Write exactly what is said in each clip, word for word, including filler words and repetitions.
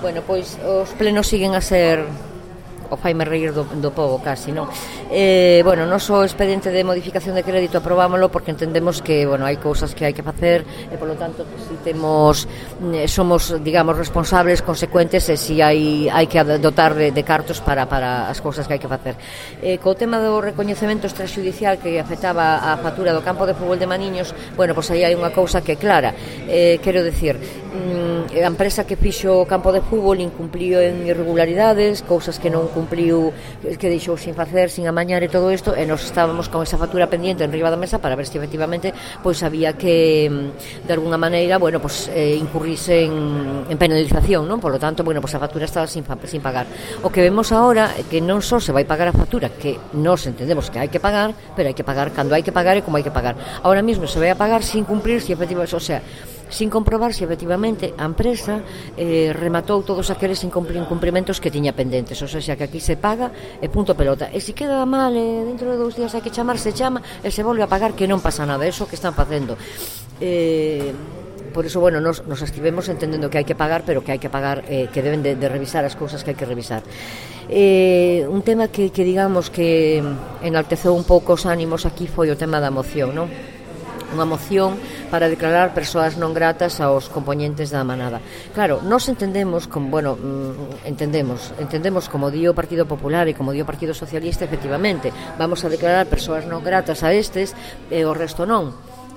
Bueno, pois os plenos siguen a ser o faime reír do, do povo casi, non? Eh, bueno, noso expediente de modificación de crédito aprobámoslo porque entendemos que, bueno, hai cousas que hai que facer e, polo tanto, si temos eh, somos, digamos, responsables, consecuentes e si hai, hai que dotar de, de cartos para, para as cousas que hai que facer. Eh, co tema do recoñecemento extrajudicial que afectaba a factura do campo de fútbol de Maniños, bueno, pois aí hai unha cousa que é clara. Eh, quero decir, mm, a empresa que fixo o campo de fútbol incumpliu en irregularidades, cousas que non cumpliu, que deixou sin facer, sin amañar e todo isto, e nos estábamos con esa factura pendiente en riba da mesa para ver se efectivamente pois había que de alguna maneira, bueno, pois eh, incurrirse en, en penalización, non? Por lo tanto, bueno, pois a factura estaba sin, sin pagar. O que vemos agora é que non só se vai pagar a factura, que nos entendemos que hai que pagar, pero hai que pagar cando hai que pagar e como hai que pagar. Ahora mesmo se vai a pagar sin cumprir, si efectivamente, o sea, sin comprobar se efectivamente a empresa eh, rematou todos aqueles incumprimentos que tiña pendentes, ou sea, que aquí se paga e punto pelota, e se queda mal e dentro de dous días hai que chamar, se chama e se volve a pagar, que non pasa nada, eso que están facendo. eh, por eso, bueno, nos, nos estivemos entendendo que hai que pagar, pero que hai que pagar, eh, que deben de, de revisar as cousas que hai que revisar. Eh, un tema que, que digamos que enalteceu un pouco os ánimos aquí foi o tema da moción, non? Unha moción para declarar persoas non gratas aos compoñentes da manada. Claro, nós entendemos como, bueno, entendemos, entendemos como di o Partido Popular e como di o Partido Socialista, efectivamente, vamos a declarar persoas non gratas a estes e o resto non.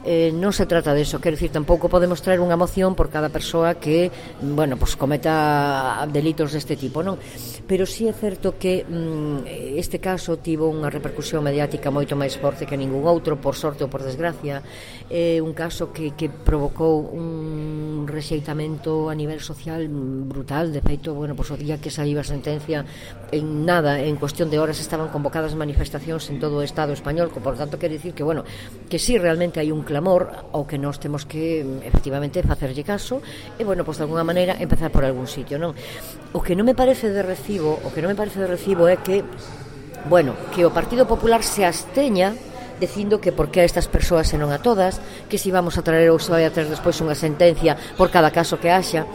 Eh, non se trata de eso, quero dicir, tampouco podemos traer unha moción por cada persoa que, bueno, pues cometa delitos deste tipo, non? Pero sí é certo que mm, este caso tivo unha repercusión mediática moito máis forte que ningún outro, por sorte ou por desgracia. É un caso que, que provocou un rexeitamento a nivel social brutal. De feito, bueno, pues o día que saiu a sentencia, en nada, en cuestión de horas estaban convocadas manifestacións en todo o Estado español, por tanto, quero dicir que, bueno, que sí, realmente hai un clamor ao que nós temos que efectivamente facerlle caso e, bueno, pois de alguna maneira empezar por algún sitio, non? O que non me parece de recibo, o que non me parece de recibo é que, bueno, que o Partido Popular se absteña dicindo que por que a estas persoas e non a todas, que si vamos a traer ou se vai a traer despois unha sentencia por cada caso que haxa.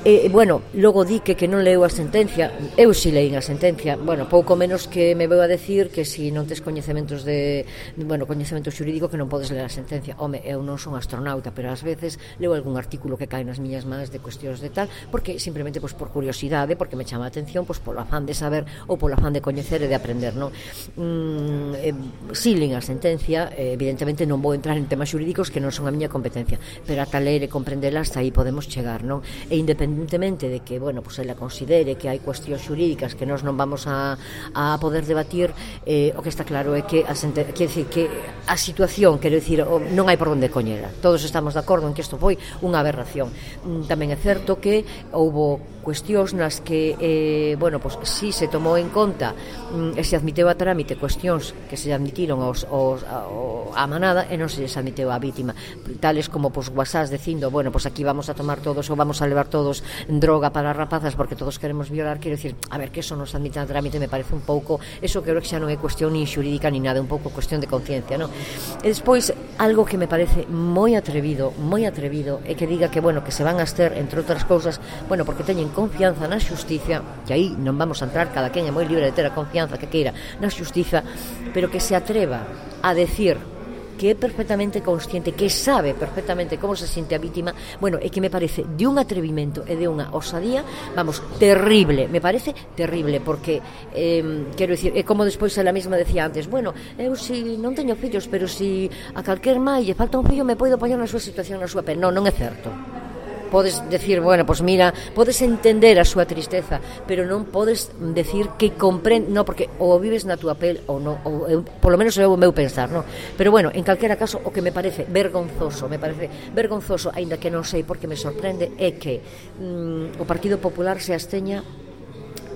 E, bueno, logo di que, que non leu a sentencia. Eu si leín a sentencia. Bueno, pouco menos que me veu a decir que si non tes coñecementos de, bueno, coñecemento xurídico, que non podes ler a sentencia. Home, eu non son astronauta, pero ás veces leo algún artículo que cae nas miñas mans de cuestións de tal, porque simplemente pois por curiosidade, porque me chama a atención, pois polo afán de saber ou polo afán de coñecer e de aprender, non? Mm, eh, si leín a sentencia, eh, evidentemente non vou entrar en temas xurídicos que non son a miña competencia, pero ata ler e comprendela hasta aí podemos chegar, non? E independentemente independentemente de que, bueno, pues ela considere que hai cuestións xurídicas que nós non vamos a, a poder debatir, eh, o que está claro é que a, quer decir, que a situación, quero dicir, non hai por onde coñela. Todos estamos de acordo en que isto foi unha aberración. Tamén é certo que houbo cuestións nas que, eh, bueno, pues si se tomou en conta mm, e se admiteu a trámite cuestións que se admitiron aos, aos, ao, a manada e non se les admiteu a vítima, tales como pues WhatsApp dicindo, bueno, pues aquí vamos a tomar todos ou vamos a levar todos droga para rapazas porque todos queremos violar. Quero dicir, a ver, que eso nos admite a trámite me parece un pouco, eso creo que xa non é cuestión nin xurídica ni nada, un pouco cuestión de conciencia, non? E despois, algo que me parece moi atrevido, moi atrevido, é que diga que, bueno, que se van a abster, entre outras cousas, bueno, porque teñen confianza na xusticia, que aí non vamos a entrar, cada quen é moi libre de ter a confianza que queira na xustiza, pero que se atreva a decir que é perfectamente consciente, que sabe perfectamente como se siente a vítima, bueno, é que me parece de un atrevimento e de unha osadía, vamos, terrible, me parece terrible, porque eh, quero dicir, é como despois ela mesma decía antes, bueno, eu si non teño fillos, pero si a calquer mai lle falta un fillo me podo poñer na súa situación, na súa pel. Non, non é certo. Podes decir, bueno, pues mira, podes entender a súa tristeza, pero non podes decir que comprende, no, porque ou vives na túa pel ou non, ou eu, polo menos é o meu pensar, no? Pero bueno, en calquera caso, o que me parece vergonzoso, me parece vergonzoso, aínda que non sei porque me sorprende, é que mm, o Partido Popular se absteña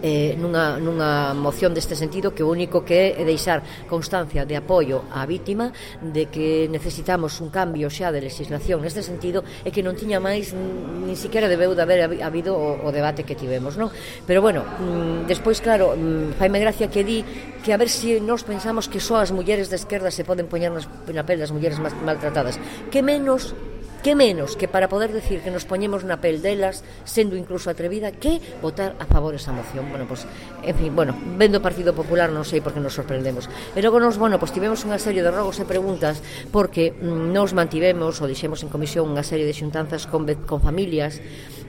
eh, nunha, nunha moción deste sentido, que o único que é deixar constancia de apoio á vítima, de que necesitamos un cambio xa de legislación neste sentido, e que non tiña máis nin siquiera debeu de haber habido o, o debate que tivemos, non? Pero bueno, mm, despois claro, mm, faime gracia que di que a ver se si nós pensamos que só as mulleres da esquerda se poden poñer nas, na pel das mulleres máis maltratadas, que menos que menos que para poder decir que nos poñemos na pel delas, sendo incluso atrevida, que votar a favor esa moción. Bueno, pues, en fin, bueno, vendo o Partido Popular non sei por que nos sorprendemos. E logo nos, bueno, pues tivemos unha serie de rogos e preguntas porque mm, nos mantivemos ou dixemos en comisión unha serie de xuntanzas con, con familias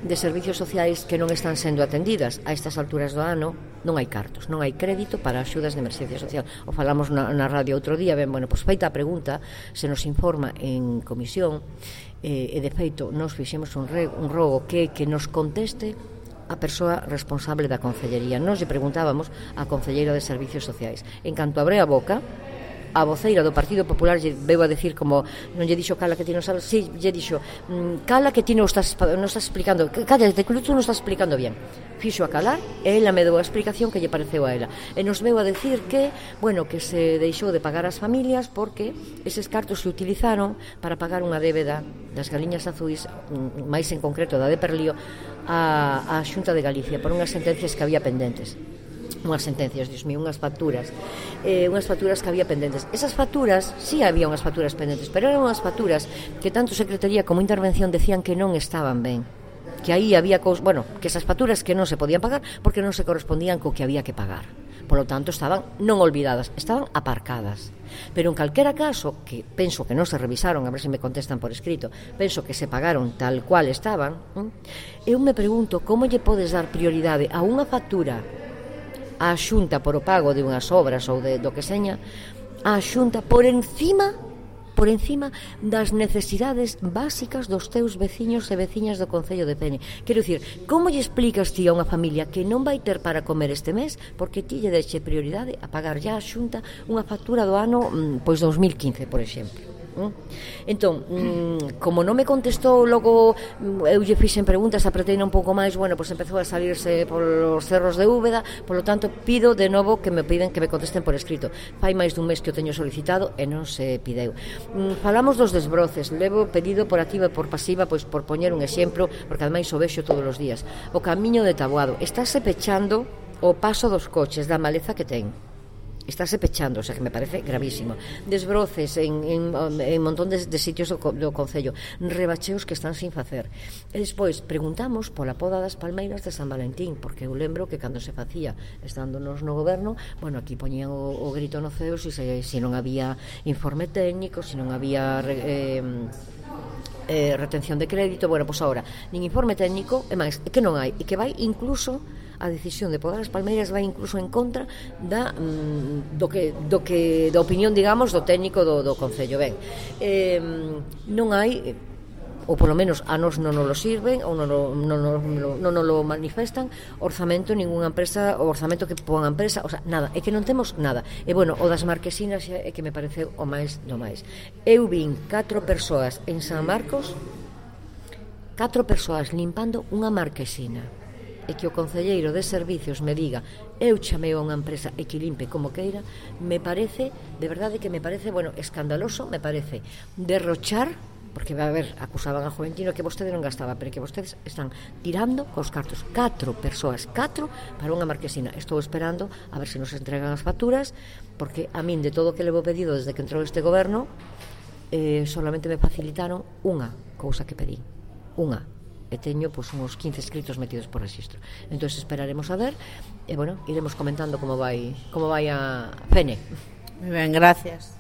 de servicios sociais que non están sendo atendidas. A estas alturas do ano non hai cartos, non hai crédito para axudas de emerxencia social. O falamos na, na radio outro día, ben, bueno, pues feita a pregunta, se nos informa en comisión, eh, e de feito nos fixemos un, re, un rogo que, que nos conteste a persoa responsable da Concellería. Nos lle preguntábamos a Concelleira de Servicios Sociais. En canto abre a boca, a voceira do Partido Popular lle veu a decir como non lle dixo cala que ti non sabes, si, lle dixo cala que ti non estás, non estás explicando, calla, que tú non estás explicando bien. Fixo a calar e ela me deu a explicación que lle pareceu a ela. E nos veu a decir que, bueno, que se deixou de pagar as familias porque eses cartos se utilizaron para pagar unha débeda das galiñas azuis, máis en concreto da de Perlío, a, a Xunta de Galicia por unhas sentencias que había pendentes. Unhas sentencias, dios mío, unhas facturas eh, unhas facturas que había pendentes. Esas facturas, sí había unhas facturas pendentes, pero eran unhas facturas que tanto Secretaría como Intervención decían que non estaban ben, que aí había cos... bueno, que esas facturas que non se podían pagar porque non se correspondían co que había que pagar. Por lo tanto, estaban non olvidadas, estaban aparcadas. Pero en calquera caso, que penso que non se revisaron, a ver se me contestan por escrito, penso que se pagaron tal cual estaban, ¿eh? Eu me pregunto como lle podes dar prioridade a unha factura a Xunta por o pago de unhas obras ou de, do que seña, a Xunta por encima por encima das necesidades básicas dos teus veciños e veciñas do Concello de Pene. Quero dicir, como lle explicas ti a unha familia que non vai ter para comer este mes porque ti lle deixe prioridade a pagar ya a Xunta unha factura do ano pois dos mil quince, por exemplo? Entón, como non me contestou, logo eu lle fixen preguntas, apreteina un pouco máis, bueno, pois empezou a salirse polos cerros de Úbeda, polo tanto pido de novo que me piden que me contesten por escrito. Fai máis dun mes que o teño solicitado e non se pideu. Falamos dos desbroces, levo pedido por activa e por pasiva, pois por poñer un exemplo, porque ademais o vexo todos os días. O camiño de Taboado estáse pechando o paso dos coches da maleza que ten. Estáse pechando, o sea que me parece gravísimo. Desbroces en, en, en montón de, de sitios do, do Concello, rebacheos que están sin facer. E despois preguntamos pola poda das palmeiras de San Valentín, porque eu lembro que cando se facía estándonos no goberno, bueno, aquí poñían o, o grito no ceo se, se non había informe técnico, se non había eh, eh, retención de crédito. Bueno, pois agora nin informe técnico, e máis, e que non hai, e que vai incluso a decisión de podar as palmeiras vai incluso en contra da mm, do que do que da opinión, digamos, do técnico do, do Concello. Ben, eh, non hai, ou polo menos a nos non nos lo sirven ou non non non non non lo manifestan orzamento ningunha empresa, o orzamento que pon a empresa, o sea, nada, é que non temos nada. E bueno, o das marquesinas é que me pareceu o máis do máis. Eu vin catro persoas en San Marcos, catro persoas limpando unha marquesina, e que o concelleiro de servicios me diga eu chamei a unha empresa e que limpe como queira, me parece, de verdade que me parece, bueno, escandaloso, me parece derrochar, porque va a ver, acusaban a Juventino que vostede non gastaba, pero que vostedes están tirando cos cartos. Catro persoas, catro para unha marquesina. Estou esperando a ver se nos entregan as facturas, porque a min de todo o que levo pedido desde que entrou este goberno, eh, solamente me facilitaron unha cousa que pedí, unha, e teño pois uns quince escritos metidos por registro. Entón esperaremos a ver e bueno, iremos comentando como vai como vai a Pene. Moi ben, gracias.